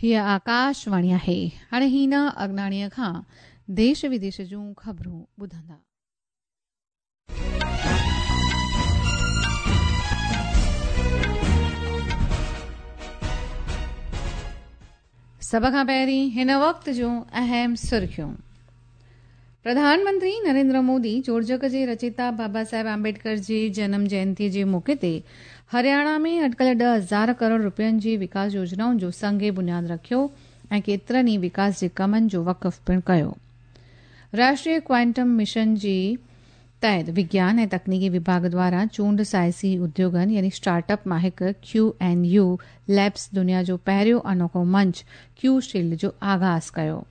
هيء آڪاشواڻي آهي. هاڻي هينا اگناڻيء کان ديش وديش جون خبرون ٻڌندا. سڀ کان پهرين هن وقت جون اهم سرخيون. پرڌان منتري نريندر مودي جوڙجڪ جي رچيتا بابا صاحب آمبيڊڪر جي جنم جينتي جي موقعي تي هرياڻا ۾ اٽڪل 10,000 ڪروڙ رپين جي وڪاس يوجنائن جو سنگ بنياد رکيو ۽ ڪيترن ئي وڪاس جي ڪمن جو وقف پڻ ڪيو. راشٽريه ڪوانٽم مشن جي تحت وگيان ۽ تڪنيڪي وڀاڳ دواران چونڊ سائنسي اديوگن يعني اسٽارٽ اپ مان هڪ ڪيو اين يو ليبس دنيا جو پهريون انوکو منچ ڪيو شيلڊ جو آغاز ڪيو.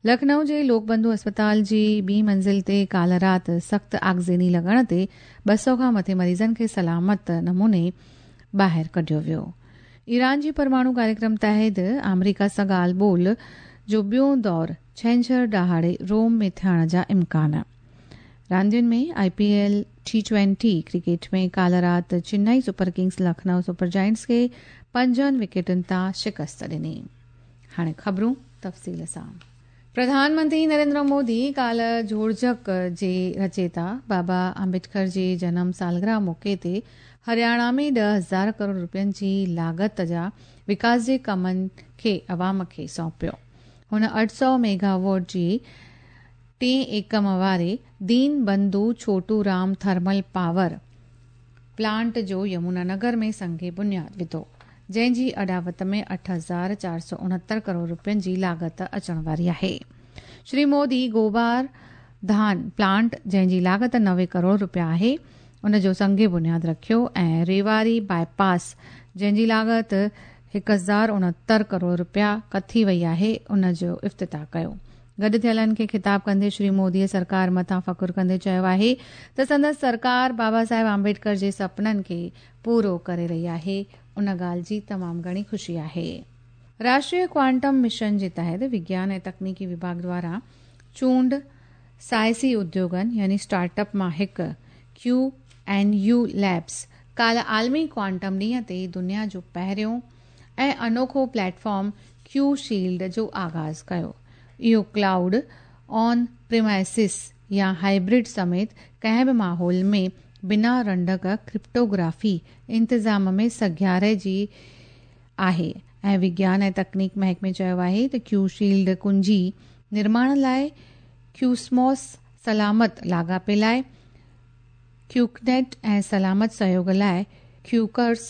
لکنؤ جي لوڪ بنڌو اسپتال جي ٻي منزل تي ڪالهه رات سخت آگزيني لڳڻ تي 200 کان مٿي مريضن کي سلامت نموني ٻاهر ڪڍيو ويو. ايران جي پرماڻو ڪاريڪرم تحت آمريڪا سان ڳالهه ٻولهه جو ٻيون دور ڇنڇر ڏهاڙي روم ۾ ٿيڻ جا امڪان. راندين ۾ I P L T twenty cricket ۾ ڪالهه رات Chennai super kings Lucknow super giants کي پنجن وڪيٽن تان شڪست ڏني. هاڻي خبرون تفصيل سان. پرڌان منتري نريندر مودي ڪالهه جوڙجڪ جي رچيتا بابا آمبيڊڪر جي جنم سالگرهه موقعي تي هرياڻا ۾ 10,000 ڪروڙ رپين جي لاڳت جا وڪاس جي ڪمن کي عوام کي سونپيو. هن 800 ميگاواٽ جي ٽئين ايڪم واري Deen Bandhu Chhotu Ram thermal power plant جو يمونا نگر ۾ سنگ بنياد وڌو، جنهن جي اڏاوت ۾ 8469 ڪروڙ رپين جي لاڳت اچڻ واري آهي. شري مودي گوبار ڌان پلانٽ جنهن جي لاڳت 90 ڪروڙ رپيا آهي، ان جو سنگ بنياد رکيو ۽ ريواري باء پاس جنهن جي لاڳت 1069 ڪروڙ رپيا ڪٿي وئي آهي، ان جو افتتاح ڪيو. گڏ ٿيلن کي خطاب ڪندي شري موديء سرڪار مٿان فخر ڪندي چيو آهي ته سندس سرڪار بابا صاحب آمبيڊڪر جي سپنن کي پورو ڪري رهي آهي، ان ڳالهه جي تمام گهڻي خوشي آهي. راشٽريه ڪوانٽم مشن جي تحت وگيان ۽ تڪنيڪي وڀاڳ دواران چونڊ سائنسي اديوگن يعني اسٽارٽ اپ مان هڪ ڪيو اين يو ليبس ڪالهه عالمي ڪوانٽم ڏينهن تي دنيا جو پهريون ۽ انوکو پليٽ فارم ڪيو شيلڊ جو آغاز ڪيو. اهو ڪلائوڊ، آن پريمائسز يا هائبرڊ سميت ڪنهن به ماحول ۾ بنا رنڊڪ ڪرپٽوگرافي انتظام ۾ سگهياري جي آهي ۽ وگيان ۽ تڪنيڪ محڪمي چيو آهي ته ڪيو شيلڊ ڪنجي نرماڻ لاء ڪيوسموس، سلامت لاڳاپي لاء ڪيوڪنيٽ ۽ سلامت سهيوڳ لاء ڪيوڪرس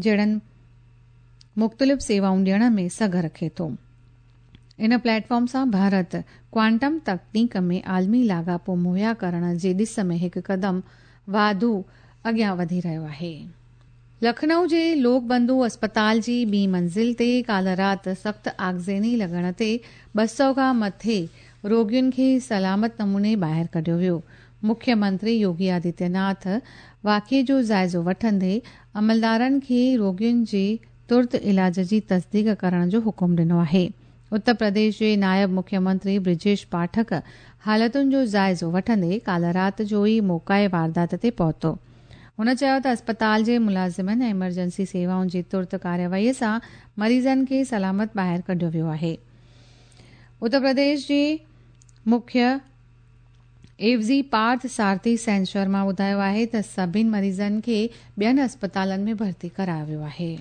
جهڙن مختلف سيوائون ڏيڻ ۾ سگهه رکي ٿو. ان پليٽ فارم سان ڀارت ڪوانٽم تڪنيڪ ۾ عالمي لاڳاپو مهيا ڪرڻ جي ڏس ۾ هڪ قدم واڌو اڳيان وڌي رهيو آهي. لکنؤ جي لوڪ بنڌو اسپتال جي ٻي منزل تي ڪالهه رات سخت آگزيني لڳڻ تي 200 کان مٿي روڳين کي سلامت نموني ٻاهر ڪڍيو ويو. مکيه منتري يوگي آدتيه ناٿ واقعي جو جائزو وٺندي عملدارن کي روڳين جي ترت علاج جي تصديق ڪرڻ جو حڪم ڏنو آهي. اتر پرديش جي نائب مکيه منتري برجيش پاٺڪ حالتن جو جائزو وٺندي ڪالهه رات جو ئي موقعي واردات تي پهتو. هن چيو ته اسپتال جي ملازمن ۽ ايمرجنسي سيوائن جي ترت ڪارروائي سان مريضن کي سلامت ٻاهر ڪڍيو ويو آهي. اتر پرديش جي مکيه عيوضي پارٿ سارٿي سين شرما ٻڌايو آهي ته سڀني مريضن کي ٻين اسپتالن ۾ ڀرتي ڪرايو ويو آهي.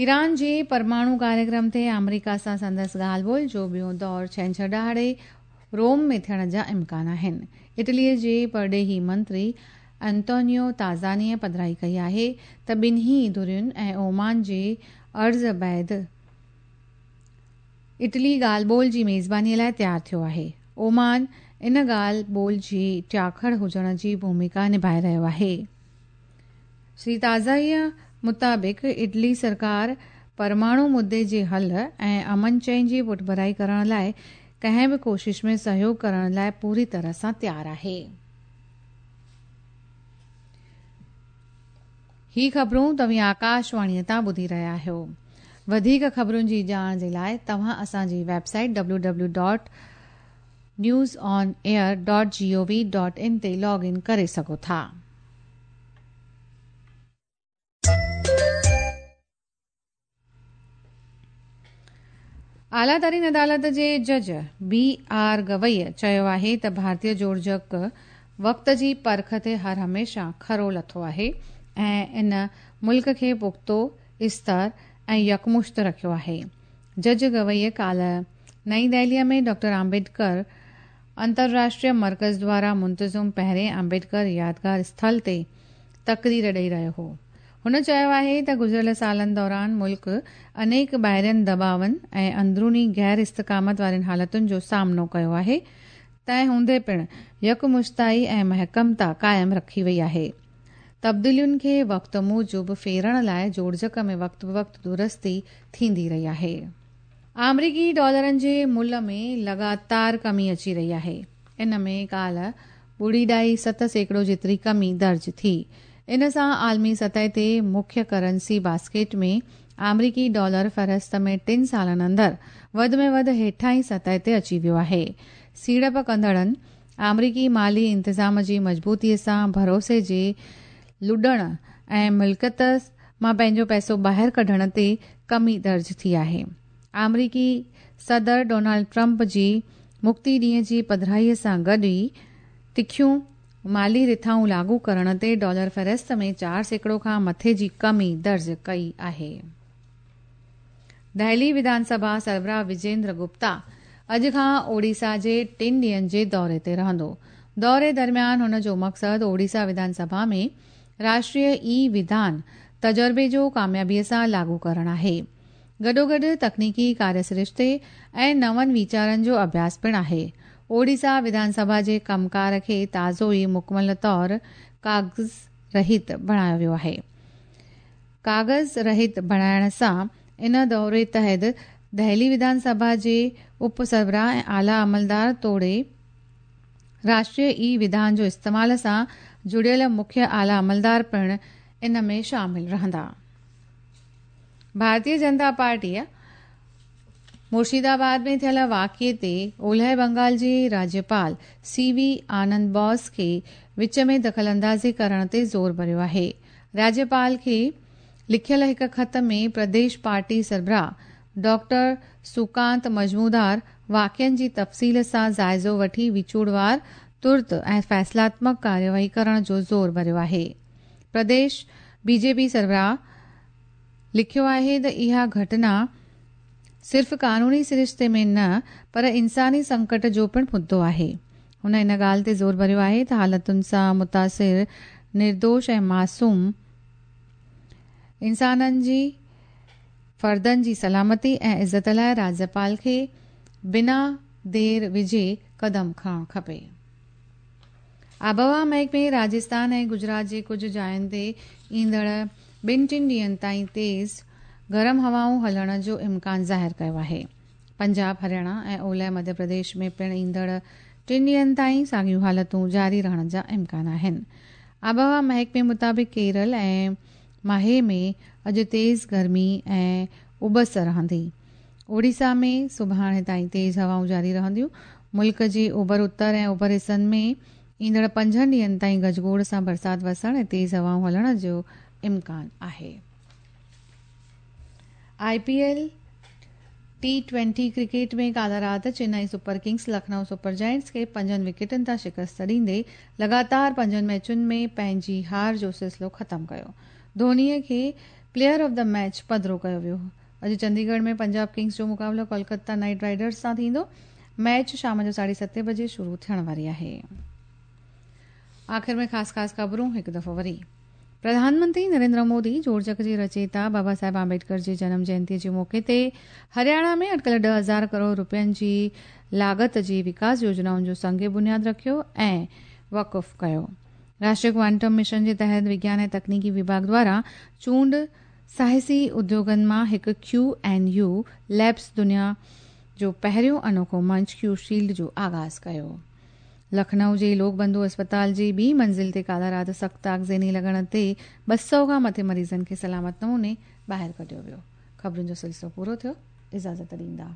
ايران جي پرماڻو ڪاريڪرم تي آمريڪا سان سندس ڳالهه ٻولهه جو ٻيون دور ڇنڇر ڏهاڙي روم ۾ ٿيڻ جا امڪان آهن. اٽلي جي پرڏيهي منتري انتونيو تازانيء پڌرائي ڪئي آهي ته ٻنهي ڌرين ۽ اومان جي عرض بعد اٽلي ڳالهه ٻولهه جي ميزباني لاء تيار ٿيو آهي. اومان ان ڳالهه ٻولهه جي ٽياڪڙ هجڻ جي ڀوميڪا نڀائي رهيو آهي. شري تازائيء مطابق اٽلي سرڪار پرماڻو مدي جي حل ۽ امن چين جي پٺڀرائي ڪرڻ لاء ڪنهن به ڪوشش ۾ سهيوڳ ڪرڻ لاء پوري طرح سان تيار آهي. هي خبرون توهين آڪاشواڻيء تان ٻڌي رهيا آهيو. وڌيڪ خبرن جي ڄاڻ جي لاء توهان اسان جي web site W W dot news on air dot G O V dot in تي لاگ ان ڪري سگهو ٿا. اعليٰ ترين عدالت جي جج بي آر گوئي چيو آهي ته ڀارتي جوڙجڪ وقت جي پرک تي هر هميشه کرو لٿو آهي ۽ ان ملڪ کي پختو، استر ۽ يڪمشت رکيو آهي. جج گوئي ڪالهه نئين دهليء ۾ ڊاڪٽر آمبيڊڪر انترراشٽريه مرڪز دواران منتظم پهرين آمبيڊڪر يادگار اسٿل تي تقرير ڏئي رهيو هو. هن چيو آهي ته گذريل سالن دوران ملڪ انيڪ ٻاهرين دٻاون ۽ اندروني غير استقامت وارين حالتن جو سامنو ڪيو آهي، تنهن هوندي پڻ يڪمشتائي ۽ محڪمتا قائم رکي وئي آهي. تبديلين کي وقت موجب ڦيرڻ لاء جوڙجڪ ۾ وقت بوقت درستي ٿيندي رهي آهي. آمريڪي ڊالرن جي ملهه ۾ لڳاتار ڪمي اچي رهي آهي. ان ۾ ڪالهه ٻڙي ڏائي 7% جيتري ڪمي درج ٿي. ان سان عالمي سطح تي مکيه ڪرنسي باسڪيٽ ۾ آمريڪي ڊالر فهرست ۾ ٽن سالن اندر وڌ ۾ وڌ هيٺاهين سطح تي اچي ويو آهي. سيڙپ ڪندڙن آمريڪي مالي انتظام جي مضبوطي سان ڀروسي جي لڏڻ ۽ ملڪيت مان پنهنجو پئسو ٻاهر ڪڍڻ تي ڪمي درج ٿي آهي. آمريڪي صدر ڊونلڊ ٽرمپ جي مڪتي ڏينهن جي پڌرائي سان گڏ ئي تکيون مالي رٿائون لاڳو ڪرڻ تي ڊالر فهرست ۾ 4% کان مٿي جي ڪمي درج ڪئي آهي. دهلي وڌان سڀا سربراهه وجيندر گپتا اڄ کان اوڙيسا جي ٽن ڏينهن جي دوري تي رهندو. دوري درميان هن جو مقصد اوڙيسا وڌان سڀا ۾ راشٽريه اي وڌان تجربي جو ڪاميابي سان لاڳو ڪرڻ آهي. گڏوگڏ تڪنيڪي ڪاريه سرشتي ۽ نون ويچارن جو اڀياس پڻ آهي. اوڙيسا وڌان سڀا جي ڪم ڪار کي تازو ئي مڪمل طور ڪاغذ رهت بڻايو ويو آهي. ڪاغذ رهت بڻائڻ سان ان دوري تحت دهلي وڌان سڀا جي اپ سربراهه ۽ اعليٰ عملدار توڙي راشٽريه اي وڌان جو استعمال سان جڙيل مکيه اعليٰ عملدار پڻ ان ۾ شامل رهندا. ڀارتيه جنتا پارٽيء مرشدآباد ۾ ٿيل واقعي تي اولهه بنگال جي راجيپال سي وي آنند بوس کي وچ ۾ دخل اندازي ڪرڻ تي زور ڀريو آهي. راجيپال کي لکيل هڪ خط ۾ پرديش پارٽي سربراهه ڊاڪٽر سوڪانت مجمودار واقعن جي تفصيل سان جائزو وٺي وچوڙوار، ترت ۽ فيصلاتمڪ ڪارروائي ڪرڻ جو زور ڀريو آهي. پرديش بي جي پي سربراهه لکيو آهي ته اها گهٽنا صرف قانوني سرشتي ۾ نه پر انساني سنڪٽ جو پڻ مدو آهي. هن ان ڳالهه تي زور ڀريو آهي ته حالتن سان متاثر نردوش ۽ معصوم انسانن جي فردن جي سلامتي ۽ عزت لاء راجيپال کي بنا دير وجهي قدم کڻڻ کپي. آبهوا محڪمي راجستان ۽ گجرات جي ڪجهه جاين تي ايندڙ ٻن ٽن ڏينهن تائين تيز گرم هوائون هلڻ جو امڪان ظاهر ڪيو آهي. پنجاب، هرياڻا ۽ اولهه مڌيه پرديش ۾ پڻ ايندڙ ٽن ڏينهن تائين ساڳيون حالتون جاري رهڻ جا امڪان آهن. آبهوا محڪمي مطابق ڪيرل ۽ ماهي ۾ اڄ تيز گرمي ۽ اٻس رهندي. اوڙيسا ۾ سڀاڻي تائين تيز هوائون جاري رهنديون. ملڪ جي اوڀر اتر ۽ اوڀر حصن ۾ ايندڙ پنجن ڏينهن تائين گجگوڙ سان برسات وسڻ ۽ تيز هوائون هلڻ جو امڪان آهي. I P L T twenty cricket ۾ ڪالهه رات Chennai super kings Lucknow super giants کي پنجن وڪيٽن تان شڪست ڏيندي لڳاتار پنجن ميچن ۾ پنهنجي هار جو سلسلو ختم ڪيو. ڌوني کي پليئر آف the match پڌرو ڪيو ويو. اڄ چنديڳڙهه ۾ پنجاب ڪنگز جو مقابلو ڪولڪتا نائيٽ رائيڊرز سان ٿيندو. ميچ شام جو ساڍي ستين بجي شروع ٿيڻ واري آهي. آخر ۾ خاص خاص خبرون هڪ دفعو وري. پرڌان منتري نريندر مودي جوڙجڪ جي رچيتا بابا صاحب آمبيڊڪر جي جنم جينتي جي موقعي تي هرياڻا ۾ اٽڪل 10,000 ڪروڙ روپين جي لاڳت جي وڪاس يوجنائن جو سنگ بنياد رکيو ۽ وقف ڪيو. راشٽريه ڪوانٽم مشن جي تحت وگيان ۽ تڪنيڪي وڀاڳ دواران چونڊ سائنسي اديوگن مان هڪ ڪيو اين يو ليبس دنيا جو پهريون انوکو منچ ڪيو شيلڊ جو آغاز ڪيو. لکنؤ جي لوڪ بنڌو اسپتال جي ٻي منزل تي ڪالهه رات سخت آگزيني لڳڻ تي 200 کان مٿي مريضن کي سلامت نموني ٻاهر ڪڍيو ويو. خبرن جو سلسلو پورو ٿيو. اجازت ڏيندا.